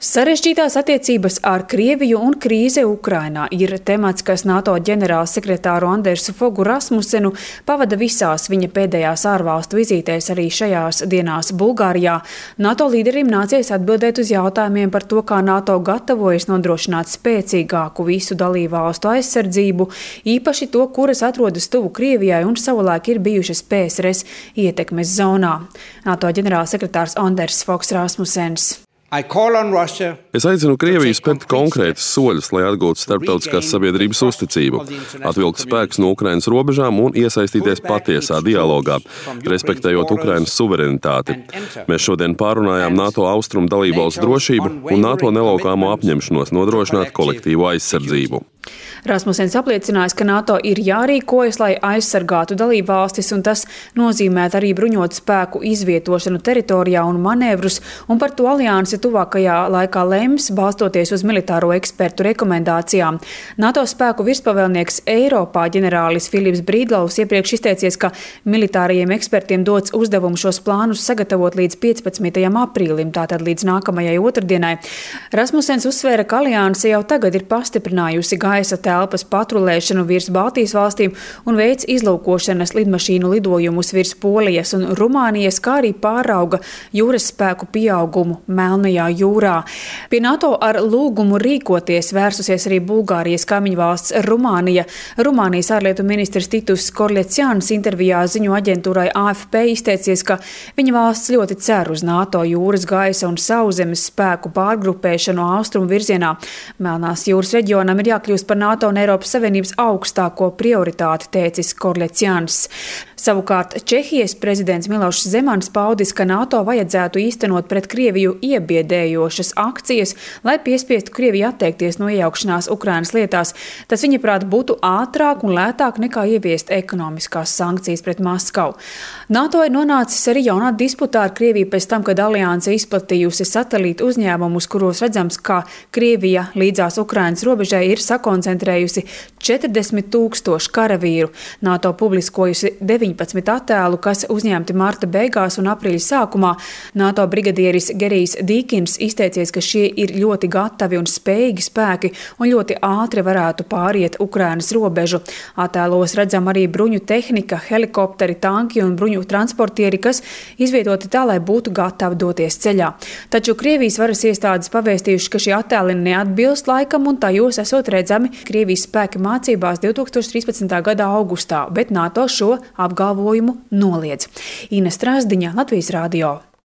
Sarežģītās attiecības ar Krieviju un krīze Ukrainā ir temats, kas NATO ģenerālsekretāru Andersu Fogu Rasmusenu pavada visās viņa pēdējās ārvalstu vizītēs arī šajās dienās Bulgārijā. NATO līderim nācies atbildēt uz jautājumiem par to, kā NATO gatavojas nodrošināt spēcīgāku visu dalībvalstu aizsardzību, īpaši to, kuras atrodas tuvu Krievijai un savulaik ir bijušas PSRS ietekmes zonā. NATO ģenerālsekretārs Anders Fogs Rasmusens. Es aicinu Krieviju spērt konkrētus soļus, lai atgūtu starptautiskās sabiedrības uzticību, atvilkt spēkus no Ukrainas robežām un iesaistīties patiesā dialogā, respektējot Ukrainas suverenitāti. Mēs šodien pārunājām NATO austrumu dalībvalstu drošību un NATO nelaukāmo apņemšanos nodrošināt kolektīvu aizsardzību. Rasmusens apliecinājis, ka NATO ir jārīkojas, lai aizsargātu dalībvalstis, un tas nozīmē arī bruņotu spēku izvietošanu teritorijā un manevrus, un par to aliansi tuvākajā laikā lems, balstoties uz militāro ekspertu rekomendācijām. NATO spēku virspavēlnieks Eiropā ģenerālis Filips Brīdlaus iepriekš izteicies, ka militārajiem ekspertiem dots uzdevumu šos plānus sagatavot līdz 15. aprīlim, tātad līdz nākamajai otrdienai. Rasmusens uzsvēra, ka alianse jau tagad ir pastiprinājusi gaisa telpas patrulēšanu virs Baltijas valstīm un veic izlūkošanas lidmašīnu lidojumus virs Polijas un Rumānijas, kā arī pārauga jūras spēku pieaugumu Melnajā jūrā. Pie NATO ar lūgumu rīkoties vērsusies arī Bulgārijas kaimiņvalsts Rumānija. Rumānijas ārlietu ministrs Titus Korļecians intervijā ziņu aģentūrai AFP izteicies, ka viņa valsts ļoti cer uz NATO jūras, gaisa un sauszemes spēku pārgrupēšanu austrumu virzienā. Melnās jūras reģionam ir jākļūst par NATO un Eiropas Savienības augstāko prioritāti, teicis Korļecians. Savukārt Čehijas prezidents Milošs Zemans paudis, ka NATO vajadzētu īstenot pret Krieviju iebiedējošas akcijas, lai piespiestu Krieviju atteikties no iejaukšanās Ukrainas lietās. Tas, viņaprāt, būtu ātrāk un lētāk nekā ieviest ekonomiskās sankcijas pret Maskavu. NATO ir nonācis arī jaunā disputā ar Krieviju pēc tam, kad alianse izplatījusi satelītu uzņēmumus, kuros redzams, ka Krievija līdzās Ukrainas robežai ir sakoncentrējusi 40,000 karavīru. NATO publiskojusi 19 attēlu, kas uzņemti marta beigās un aprīļa sākumā. NATO brigadieris Gerijs Dīkins izteicies, ka šie ir ļoti gatavi un spējīgi spēki un ļoti ātri varētu pāriet Ukrainas robežu. Attēlos redzam arī bruņu tehnika, helikopteri, tanki un bruņu transportieri, kas izvietoti tā, lai būtu gatavi doties ceļā. Taču Krievijas varas iestādes pavēstījuši, ka šie attēli neatbilst laikam un tajos esot redzami Krievijas spēki mācībās 2013. gada augustā, bet NATO šo apgalvojumu noliedz. Ina Strasdiņa, Latvijas radio.